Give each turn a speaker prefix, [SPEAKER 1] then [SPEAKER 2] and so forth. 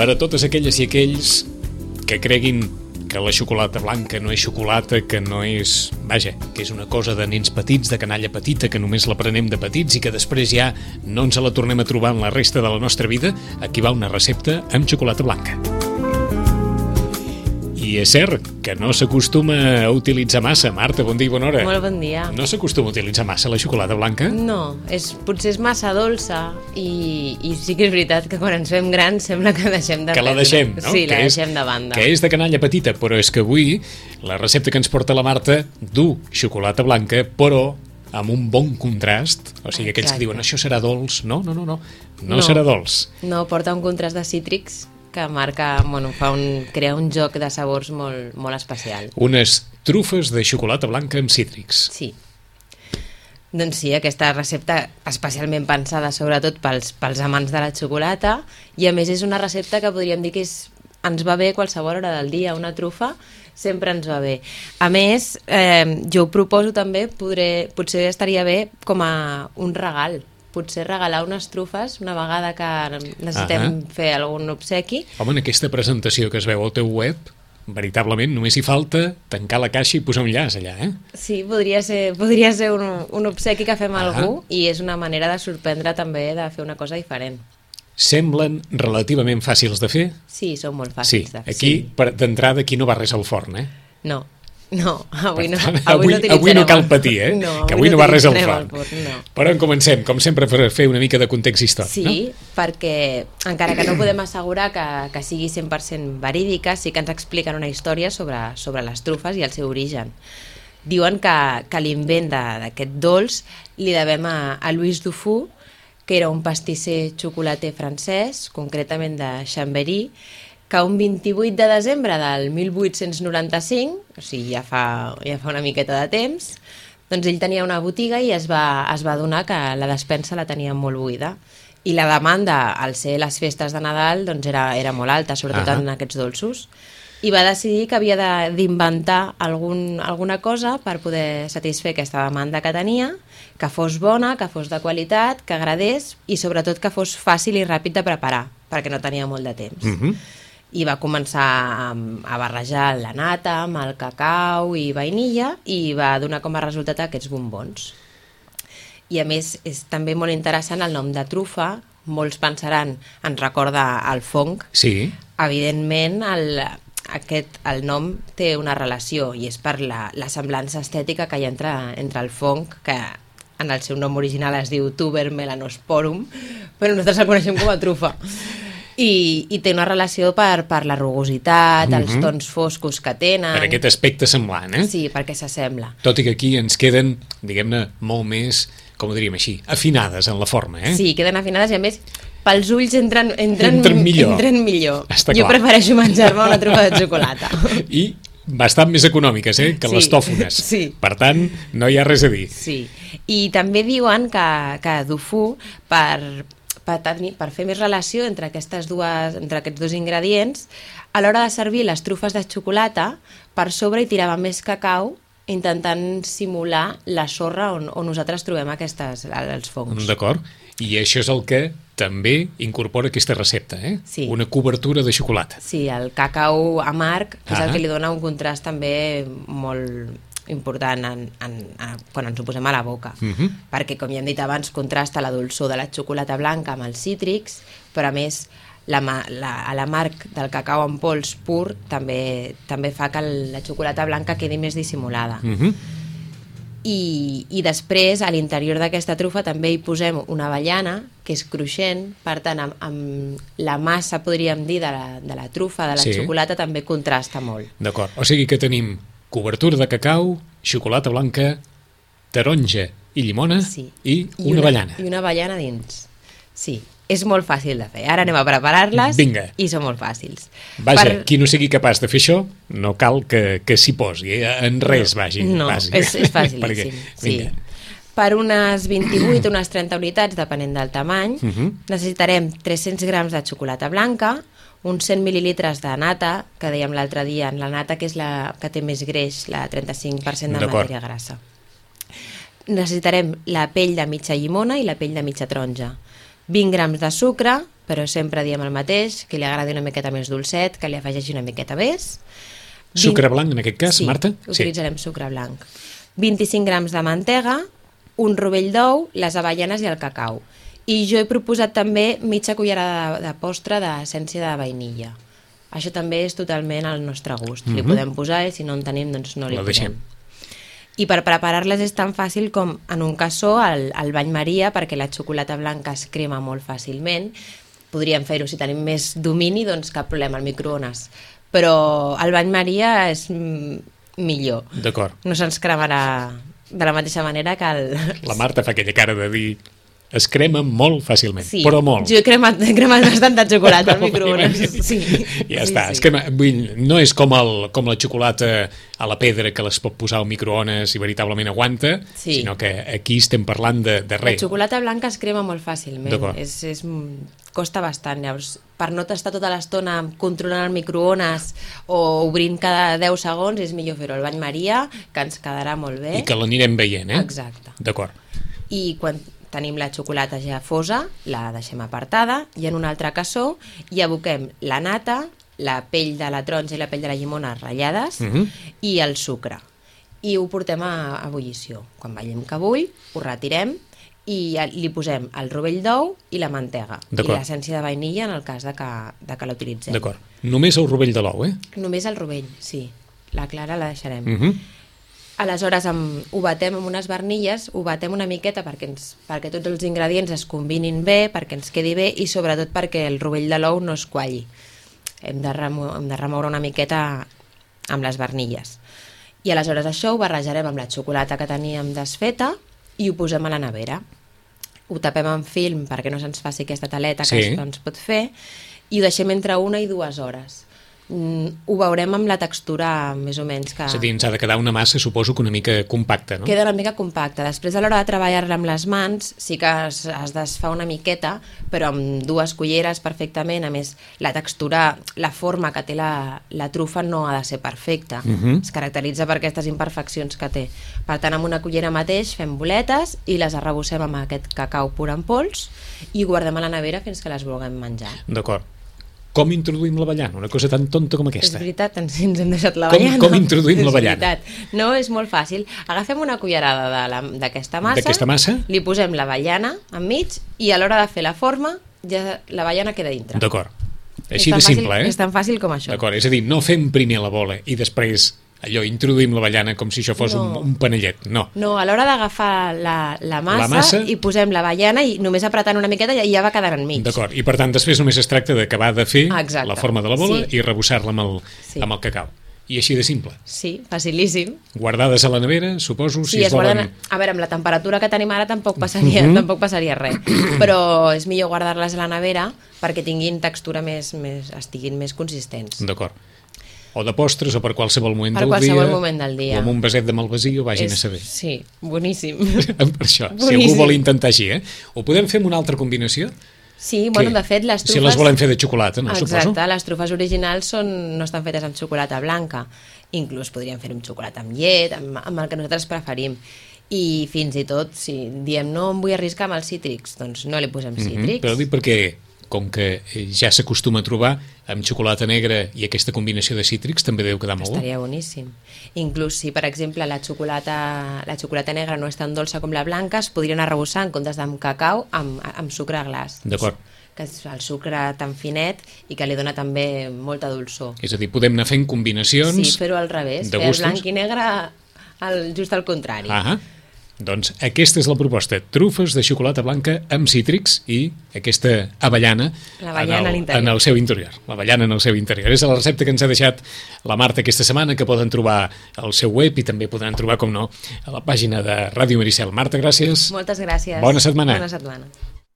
[SPEAKER 1] per a totes aquelles i aquells que creguin que la xocolata blanca no és xocolata, que no és... Vaja, que és una cosa de nens petits, de canalla petita, que només la prenem de petits i que després ja no ens la tornem a trobar en la resta de la nostra vida, aquí va una recepta amb xocolata blanca. I és cert que no s'acostuma a utilitzar massa. Marta, bon dia i bona hora.
[SPEAKER 2] Molt bon dia.
[SPEAKER 1] No s'acostuma a utilitzar massa la xocolata blanca?
[SPEAKER 2] No, potser és massa dolça i sí que és veritat que quan ens fem grans sembla que deixem de...
[SPEAKER 1] Que la deixem, no?
[SPEAKER 2] Sí, la deixem de banda.
[SPEAKER 1] Que és de canalla petita, però és que avui la recepta que ens porta la Marta du xocolata blanca, però amb un bon contrast. O sigui, aquells que diuen això serà dolç. No serà dolç.
[SPEAKER 2] No, porta un contrast de cítrics que marca, crea un joc de sabors molt especial.
[SPEAKER 1] Unes trufes de xocolata blanca amb cítrics.
[SPEAKER 2] Sí. Doncs sí, aquesta recepta especialment pensada sobretot pels amants de la xocolata, i a més és una recepta que podríem dir que ens va bé a qualsevol hora del dia. Una trufa sempre ens va bé. A més, jo ho proposo també, potser estaria bé com a un regal. Potser regalar unes trufes una vegada que necessitem fer algun obsequi.
[SPEAKER 1] Home, en aquesta presentació que es veu al teu web, veritablement només hi falta tancar la caixa i posar un llaç allà, eh?
[SPEAKER 2] Sí, podria ser un obsequi que fem a algú, i és una manera de sorprendre també, de fer una cosa diferent.
[SPEAKER 1] Semblen relativament fàcils de fer?
[SPEAKER 2] Sí, són molt fàcils de fer.
[SPEAKER 1] Aquí, d'entrada, aquí no va res al forn, eh?
[SPEAKER 2] No, avui
[SPEAKER 1] no cal patir, eh? Que avui no va res al forn. Però en comencem, com sempre, per fer una mica de context històric, no?
[SPEAKER 2] Sí, perquè encara que no podem assegurar que sigui 100% verídica, sí que ens expliquen una història sobre les trufes i el seu origen. Diuen que l'invent d'aquest dolç li devem a Louis Dufour, que era un pastisser xocolater francès, concretament de Chambéry, que un 28 de desembre del 1895, o sigui, ja fa una miqueta de temps, doncs ell tenia una botiga i es va adonar que la despensa la tenia molt buida. I la demanda, al ser les festes de Nadal, doncs era molt alta, sobretot en aquests dolços. I va decidir que havia d'inventar alguna cosa per poder satisfer aquesta demanda que tenia, que fos bona, que fos de qualitat, que agradés i sobretot que fos fàcil i ràpid de preparar, perquè no tenia molt de temps. I va començar a barrejar la nata amb el cacau i vainilla i va donar com a resultat aquests bombons. I a més és també molt interessant el nom de trufa. Molts pensaran, ens recorda el fong.
[SPEAKER 1] Sí.
[SPEAKER 2] Evidentment el nom té una relació i és per la semblança estètica que hi ha entre el fong, que en el seu nom original es diu Tuber melanosporum, però nosaltres el coneixem com a trufa. I té una relació per la rugositat, els tons foscos que tenen.
[SPEAKER 1] Per aquest aspecte semblant, eh?
[SPEAKER 2] Sí, perquè s'assembla.
[SPEAKER 1] Tot i que aquí ens queden, diguem-ne, molt més, com ho diríem així, afinades en la forma, eh?
[SPEAKER 2] Sí, queden afinades i a més pels ulls entren millor.
[SPEAKER 1] Està
[SPEAKER 2] jo
[SPEAKER 1] clar.
[SPEAKER 2] Prefereixo menjar-me una trufa de xocolata.
[SPEAKER 1] I bastant més econòmiques, que les tòfones.
[SPEAKER 2] Sí.
[SPEAKER 1] Per tant, no hi ha res a dir.
[SPEAKER 2] Sí. I també diuen que Dufour, per fer més relació entre aquests dos ingredients, a l'hora de servir les trufes de xocolata, per sobre hi tirava més cacau, intentant simular la sorra on nosaltres trobem els fongs.
[SPEAKER 1] D'acord. I això és el que també incorpora aquesta recepta, eh?
[SPEAKER 2] Sí.
[SPEAKER 1] Una cobertura de xocolata.
[SPEAKER 2] Sí, el cacau amarg és el que li dona un contrast també molt important quan ens ho posem a la boca, perquè, com ja hem dit abans, contrasta la dolçor de la xocolata blanca amb els cítrics, però a més l'amarg del cacau en pols pur també fa que la xocolata blanca quedi més dissimulada. I després, a l'interior d'aquesta trufa també hi posem una avellana, que és cruixent, per tant, amb la massa, podríem dir, de la trufa, de la xocolata, també contrasta molt.
[SPEAKER 1] D'acord, o sigui que tenim cobertura de cacau, xocolata blanca, taronja i llimona i una avellana.
[SPEAKER 2] I una avellana dins. Sí, és molt fàcil de fer. Ara anem a preparar-les.
[SPEAKER 1] Vinga.
[SPEAKER 2] I són molt fàcils.
[SPEAKER 1] Vaja, qui no sigui capaç de fer això, no cal que s'hi posi, en res vagi.
[SPEAKER 2] No, és fàcilíssim. Sí. Per unes 28 o unes 30 unitats, depenent del tamany, necessitarem 300 grams de xocolata blanca, uns 100 mil·lilitres de nata, que dèiem l'altre dia, la nata que és la que té més greix, la 35% de matèria grassa. Necessitarem la pell de mitja llimona i la pell de mitja taronja. 20 grams de sucre, però sempre diem el mateix, que li agradi una miqueta més dolcet, que li afegeixi una miqueta més.
[SPEAKER 1] Sucre blanc, en aquest cas,
[SPEAKER 2] sí,
[SPEAKER 1] Marta?
[SPEAKER 2] Utilitzarem sucre blanc. 25 grams de mantega, un rovell d'ou, les avellanes i el cacau. I jo he proposat també mitja cullerada de postre d'essència de vainilla. Això també és totalment al nostre gust. Li podem posar i si no en tenim, doncs no li posem. I per preparar-les és tan fàcil com en un cassó el bany Maria, perquè la xocolata blanca es crema molt fàcilment. Podríem fer-ho si tenim més domini, doncs cap problema, al microones. Però el bany Maria és millor.
[SPEAKER 1] D'acord.
[SPEAKER 2] No se'ns cremarà de la mateixa manera que el...
[SPEAKER 1] La Marta fa aquella cara de dir es crema molt fàcilment,
[SPEAKER 2] sí,
[SPEAKER 1] però molt.
[SPEAKER 2] Jo he cremat bastanta xocolata al microones. Sí.
[SPEAKER 1] Ja està,
[SPEAKER 2] sí.
[SPEAKER 1] És que no és com la xocolata a la pedra que les pot posar al microones i veritablement aguanta, sinó que aquí estem parlant de res.
[SPEAKER 2] La xocolata blanca es crema molt fàcilment, costa bastant. Llavors, per no estar tota l'estona controlant el microones o obrint cada 10 segons, és millor fer-ho al bany Maria, que ens quedarà molt bé.
[SPEAKER 1] I que l'anirem veient, eh?
[SPEAKER 2] Exacte.
[SPEAKER 1] D'acord.
[SPEAKER 2] I quan tenim la xocolata ja fosa, la deixem apartada i en un altre cassó hi aboquem la nata, la pell de la taronja i la pell de la llimona ratllades i el sucre. I ho portem a ebullició. Quan veiem que bull, ho retirem i li posem el rovell d'ou i la mantega. I l'essència de vainilla en el cas de que l'utilitzem.
[SPEAKER 1] D'acord. Només el rovell de l'ou, eh?
[SPEAKER 2] Només el rovell, sí. La clara la deixarem. Aleshores ho batem amb unes barnilles, ho batem una miqueta perquè tots els ingredients es combinin bé, perquè ens quedi bé i sobretot perquè el rovell de l'ou no es qualli. Hem de remoure una miqueta amb les barnilles. I aleshores això ho barrejarem amb la xocolata que teníem desfeta i ho posem a la nevera. Ho tapem amb film perquè no se'ns faci aquesta taleta que es pot fer i ho deixem entre 1 i 2 hores. Ho veurem amb la textura més o menys que...
[SPEAKER 1] És a dir, ens ha de quedar una massa, suposo que una mica compacta, no?
[SPEAKER 2] Queda una mica compacta. Després, a l'hora de treballar-la amb les mans, sí que es desfà una miqueta, però amb 2 culleres perfectament. A més, la textura, la forma que té la trufa no ha de ser perfecta. Es caracteritza per aquestes imperfeccions que té. Per tant, amb una cullera mateix fem boletes i les arrebossem amb aquest cacau pur en pols i ho guardem a la nevera fins que les vulguem menjar.
[SPEAKER 1] D'acord. Com introduïm l'avellana? Una cosa tan tonta com aquesta.
[SPEAKER 2] És veritat, ens hem deixat l'avellana.
[SPEAKER 1] Com introduïm l'avellana?
[SPEAKER 2] No, és molt fàcil. Agafem una cullerada d'aquesta
[SPEAKER 1] massa,
[SPEAKER 2] li posem l'avellana enmig i a l'hora de fer la forma ja l'avellana queda dintre.
[SPEAKER 1] D'acord. Així de simple, eh?
[SPEAKER 2] És tan fàcil com això.
[SPEAKER 1] D'acord, és a dir, no fem primer la bola i després allò, introduïm l'avellana com si això fos un panellet, no. No,
[SPEAKER 2] a l'hora d'agafar la massa i posem l'avellana i només apretant una miqueta ja va quedant enmig.
[SPEAKER 1] D'acord, i per tant després només es tracta d'acabar de fer la forma de la bola i rebossar-la amb el cacau. I així de simple.
[SPEAKER 2] Sí, facilíssim.
[SPEAKER 1] Guardades a la nevera, suposo, si es volen...
[SPEAKER 2] A veure, amb la temperatura que tenim ara tampoc passaria res, però és millor guardar-les a la nevera perquè tinguin textura estiguin més consistents.
[SPEAKER 1] D'acord. O de postres o per qualsevol moment del dia.
[SPEAKER 2] Per qualsevol moment del dia.
[SPEAKER 1] O amb un vaset de malvasí o vagin a saber.
[SPEAKER 2] Sí, boníssim.
[SPEAKER 1] Per això, si algú vol intentar així, eh? Ho podem fer amb una altra combinació?
[SPEAKER 2] Sí, bueno, de fet, les trufes...
[SPEAKER 1] Si les volem fer de xocolata, no?
[SPEAKER 2] Exacte, les trufes originals no estan fetes amb xocolata blanca. Inclús podríem fer amb xocolata amb llet, amb el que nosaltres preferim. I fins i tot, si diem no em vull arriscar amb els cítrics, doncs no li posem cítrics.
[SPEAKER 1] Però dic perquè, com que ja s'acostuma a trobar amb xocolata negra i aquesta combinació de cítrics, també deu quedar molt bo.
[SPEAKER 2] Estaria boníssim. Inclús si, per exemple, la xocolata negra no és tan dolça com la blanca, es podrien arrebossar en comptes d'amb cacau amb sucre glaç.
[SPEAKER 1] D'acord.
[SPEAKER 2] Que és el sucre tan finet i que li dona també molta dolçor.
[SPEAKER 1] És a dir, podem anar fent combinacions...
[SPEAKER 2] Sí, fer-ho al revés, fer el blanc i negre just al contrari.
[SPEAKER 1] Doncs aquesta és la proposta, trufes de xocolata blanca amb cítrics i aquesta avellana en el seu interior. L'avellana en el seu interior. És la recepta que ens ha deixat la Marta aquesta setmana, que poden trobar al seu web i també podran trobar, com no, a la pàgina de Ràdio Maricel. Marta, gràcies.
[SPEAKER 2] Moltes gràcies.
[SPEAKER 1] Bona setmana.
[SPEAKER 2] Bona setmana.